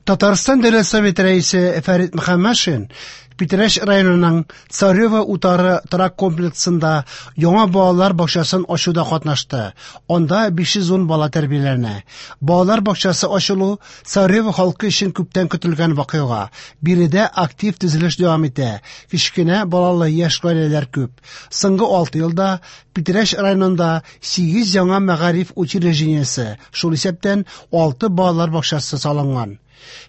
Татарстан Дәүләт Советы Рәисе Фәрит Мөхәммәтшин Питрәч районының Царево утары торак комплексында яңа балалар бакчасын ачуда катнашты. Анда 510 бала тәрбияләнә. Балалар бакчасы ачылу Царево халкы өчен күптән көтелгән вакыйга. Биредә актив төзелеш дәвам итә. Кечкенә балалы яшь гаиләләр күп. Соңгы 6 елда Питрәч районында 8 яңа мәгариф учреждениесе, шул исәптән 6 балалар бакчасы салынган.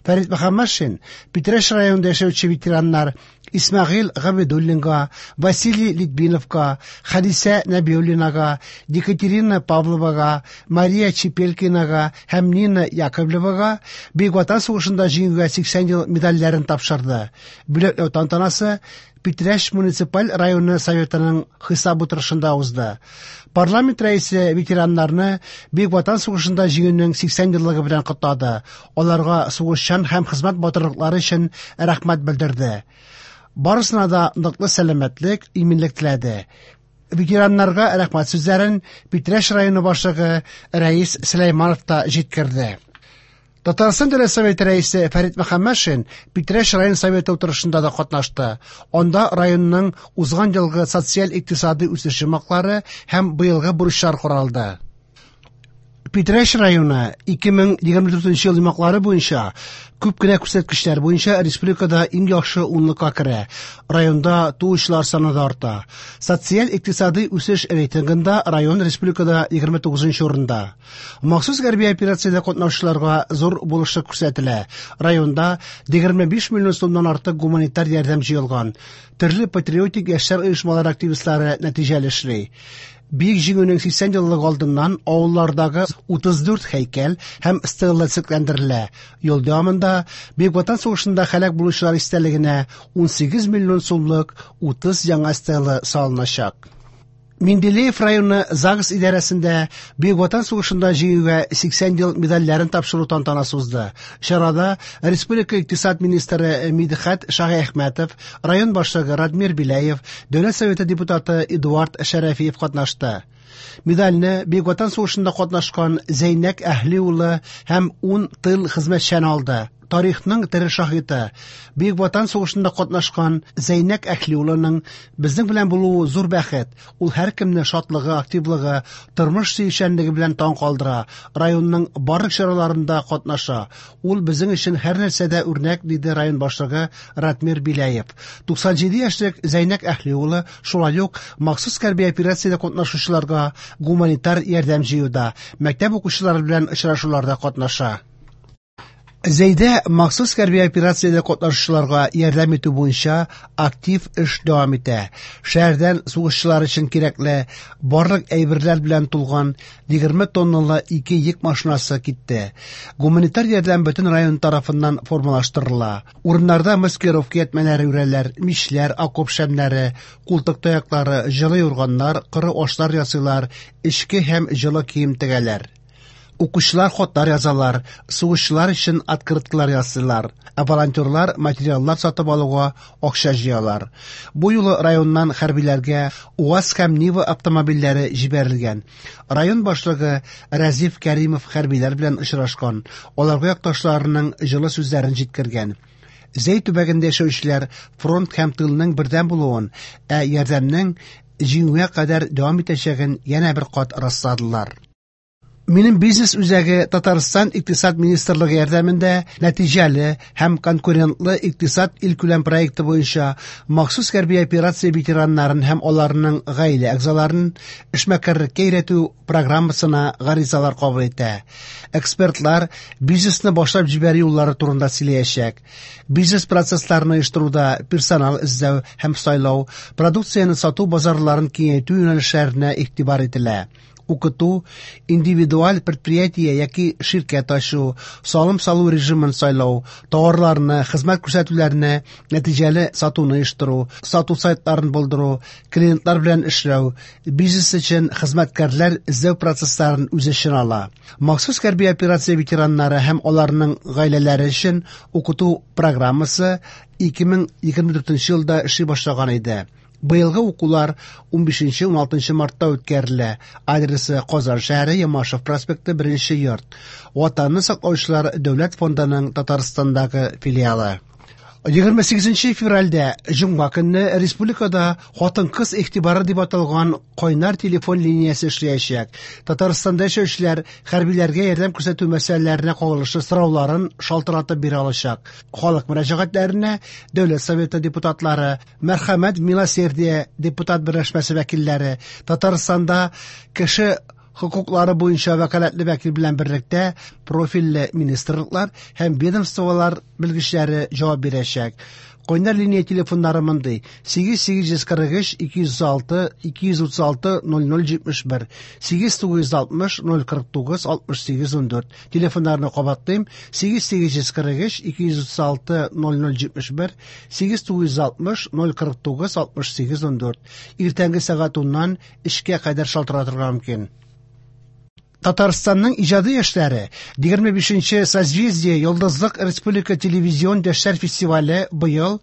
Фәрит Мөхәммәтшин Питрәч районында яшәүче ветераннар Исмәгыйль Габидуллинга, Василий Литвиновка, Хәдисә Нәбиуллинага, Екатерина Павловага, Мария Чепелькинага һәм Нина Яковлевага Бөек Ватан сугышында җиңүгә 80 ел медальләрен тапшырды. Бүләкләү тантанасы Питрәч муниципаль районы советының хисап утырышында узды. Парламент рәисе ветераннарны Бөек Ватан сугышында җиңүнең 80 еллыгы белән котлады. Аларга сугышчан һәм хезмәт батырлыклары өчен рәхмәт белдерде. Барысына да ныклы сәламәтлек, иминлек теләде. Ветераннарга рәхмәт сүзләрен Питрәч районы башлыгы Рәис Сөләйманов та җиткерде. Татарстан Дәүләт Советы рәисе Фәрит Мөхәммәтшин Питрәч район советы утырышында да катнашты. Анда районның узган елгы социаль-икътисади үсеш йомгаклары һәм быелгы бурычлар каралды. Питрәч районы 2024 ел йомгаклары буенча күп кенә күрсәткечләр буенча республикада иң яхшы унлыкка керә. Районда туучылар саны да арта. Социаль-икътисади үсеш рейтингында район республикада 29 урында. Махсус хәрби операциядә катнашучыларга зур булышлык күрсәтелә. Районда 25 миллион сумнан артык гуманитар ярдәм җыелган. Төрле патриотик яшьләр оешмалары активистлары нәтиҗәле эшли. Бөек Җиңүнең 80 еллыгы алдыннан авыллардагы 34 һәйкәл һәм стела төзекләндерелә. Ел дәвамында Бөек Ватан сугышында һәлак булучылар истәлегенә 18 миллион сумлык 30 яңа стела салыначак. Менделеев районы ЗАГС идарәсендә Бөек Ватан сугышында җиңүгә 80 ел медальләрен тапшыру тантанасы узды. Чарада республика икътисад министры Мидхәт Шаһиәхмәтов, район башлыгы Радмир Беляев, Дәүләт Советы депутаты Эдуард Шәрәфиев катнашты. Медальне Бөек Ватан сугышында катнашкан Зәйнәк Әһли улы һәм 10 тыл хезмәтчәне алды. Тарихның тере шаһиты, Бөек Ватан сугышында катнашкан Зәйнәк Әһли улының безнең белән булуы зур бәхет. Ул һәркемне шатлыгы, активлыгы, тормыш сөючәнлеге белән таң калдыра. Районның барлык чараларында катнаша. Ул безнең өчен һәр нәрсәдә үрнәк, диде район башлыгы Ратмир Беляев. 97 яшьлек Зәйнәк Әһли улы шулай ук махсус хәрби операциядә катнашучыларга гуманитар ярдәм җыюда, мәктәп укучылары белән очрашуларда катнаша. Зәйдә махсус хәрби операциядә катнашучыларга ярдәм итү буенча актив эш дәвам итә. Шәһәрдән сугышчылар өчен кирәкле барлык әйберләр белән тулган 20 тонналы 2 йөк машинасы китте. Гуманитар ярдәм бөтен район тарафыннан формалаштырыла. Урыннарда маскировка ятмәләре үрәләр, мичләр, окоп шәмнәре, култык таяклары, җылы юрганнар, коры ашлар ясыйлар, эчке һәм җылы кием тегәләр. Укучылар хатлар язалар, сугышчылар өчен открыткалар ясыйлар, ә волонтерлар материаллар сатып алуга акча җыялар. Бу юлы районнан хәрбиләргә УАЗ һәм Нива автомобильләре җибәрелгән. Район башлыгы Разиф Кәримов хәрбиләр белән очрашкан, аларга якташларының җылы сүзләрен җиткергән. Зәй төбәгендә яшәүчеләр фронт һәм тылның бердәм булуын, ә ярдәмнең җиңүгә кадәр дәвам итәчәген янә бер кат расладылар. Минем бизнес үзәге Татарстан Икътисад министрлыгы ярдәмендә нәтиҗәле һәм конкурентлы икътисад илкүләм проекты буенча махсус хәрби операция ветераннарын һәм аларның гаилә әгъзаларын эшмәкәрлеккә өйрәтү программасына гаризалар кабул итә. Экспертлар бизнесны башлап җибәрү юллары турында сөйләячәк. Бизнес процессларын оештыруда персонал эзләү һәм сайлау, продукцияне сату базарларын киңәйтү юнәлешләренә игътибар ителә. Укыту, индивидуаль предприятие яки ширкәт ачу, салым салу режимын сайлау, товарларны, хезмәт күрсәтүләрне нәтиҗәле сатуны оештыру, сату сайтларын булдыру, клиентлар белән эшләү, бизнес өчен хезмәткәрләр эзләү процессларын үз эченә ала. Махсус хәрби операция ветераннары һәм аларның гаиләләре өчен укыту программасы 2024 елда эшли башлаган иде. Быелгы укулар 15-16 мартта үткәрелә. Адресы: Казан шәһәре, Ямашев проспекты, 1 йорт. Ватанны саклаучылар дәүләт фондының Татарстандагы филиалы. 28 февральдә, җомга көнне, республикада «Хатын-кыз игътибары» дип аталган кайнар телефон линиясе эшләячәк. Татарстанда яшәүчеләр хәрбиләргә ярдәм күрсәтү мәсьәләләренә кагылышлы сорауларын шалтыратып бирә алачак. Халык мөрәҗәгатьләренә Дәүләт Советы депутатлары, Мәрхәмәт Милосердие депутат берләшмәсе вәкилләре, Татарстанда кеше хокуклары буенча вәкаләтле вәкил белән берлектә профильле министрлыклар һәм ведомстволар белгечләре җавап бирәчәк. Кайнар линия телефоннары мондый: 8843 206 236 0071, 8960 049 68 14. Телефоннарны кабатлыйм: 8843 236 0071, 8960 049 68 14. Иртәнге сәгать 10-нан 3-кә кадәр шалтыратырга мөмкин. Татарстанның иҗади яшьләре 25нче Созвездие Йолдызлык республика телевизион яшьләр фестивале быел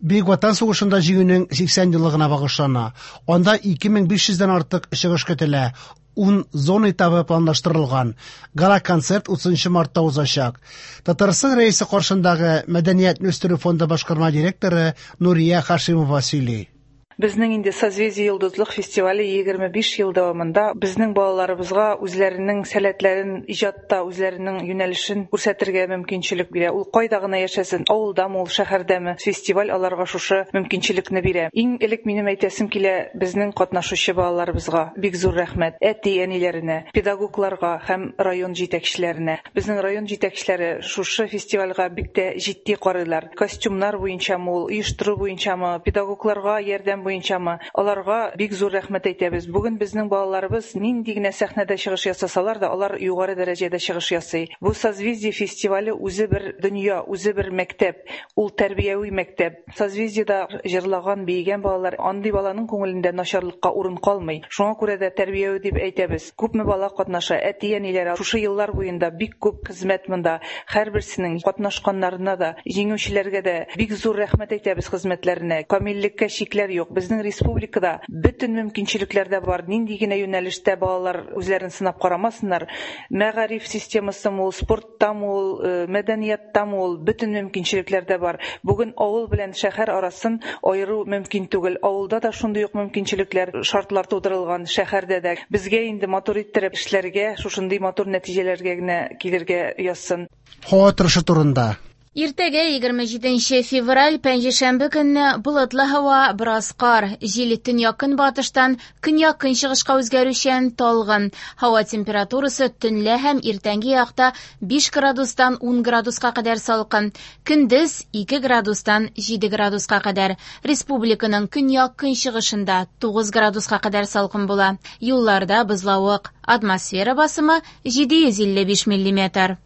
Бөек Ватан сугышында җиңүнең 80 еллыгына багышлана. Анда 2500 дән артык чыгыш көтелә. 10 зона этабы планлаштырылган. Гала-концерт 30 мартта узачак. Татарстан Рәисе каршындагы Мәдәниятне үстерү фонды башкарма директоры Нурия Хашимова сөйли. Безнең инде Созвездие Йолдызлык фестивале 25 ел дәвамында безнең балаларыбызга үзләренең сәләтләрен иҗатта, үзләренең юнәлешен күрсәтергә мөмкинчелек бирә. Ул кайда гына яшәсен, авылдамы ул, шәһәрдәме, фестиваль аларга шушы мөмкинчелекне бирә. Иң элек минем әйтәсем килә безнең катнашучы балаларыбызга бик зур рәхмәт, әти-әниләренә, педагогларга һәм район җитәкчеләренә. Безнең район җитәкчеләре шушы фестивальгә бик тә җитди карыйлар. Костюмнар буенчамы ул, оештыру буенчамы, педагогларга ярдәм буенчамы, аларга бик зур рәхмәт әйтәбез. Бүген безнең балаларыбыз нинди генә сәхнәдә чыгыш ясасалар да, алар югары дәрәҗәдә чыгыш ясый. Бу Созвездие фестивале үзе бер дөнья, үзе бер мәктәп. Ул тәрбияви мәктәп. Созвездиедә җырлаган, биегән балалар, андый баланың күңелендә начарлыкка урын калмый. Шуңа күрә дә тәрбияви дип әйтәбез. Күпме бала катнаша, әти-әниләре шушы еллар буенда бик күп хезмәт монда. Һәрберсенең катнашканнарына да, җиңүчеләргә дә бик зур рәхмәт әйтәбез хезмәтләренә. Камиллеккә чикләр юк. Безнең республикада бөтен мөмкинчелекләр дә бар. Нинди генә юнәлештә балалар үзләрен сынап карамасыннар, мәгариф системасымы ул, спорттамы ул, мәдәнияттамы ул, бөтен мөмкинчелекләр дә бар. Бүген авыл белән шәһәр арасын аеру мөмкин түгел. Авылда да шундый ук мөмкинчелекләр, шартлар тудырылган, шәһәрдә дә. Безгә инде матур иттереп эшләргә, шушындый матур нәтиҗәләргә генә килергә язсын. Һава торышы турында. Иртәгә 27 февраль, пәнҗешәмбе көнне болытлы һава, бераз кар, җил төньяк-көнбатыштан көньяк-көнчыгышка үзгәрүчән, талгын. Һава температурасы төнлә һәм иртәнге якта 5 градустан 10 градуска кадәр салкын, көндез 2 градустан 7 градуска кадәр. Республиканың көньяк-көнчыгышында 9 градуска кадәр салкын була. Юлларда бозлавык. Атмосфера басымы 755 миллиметр.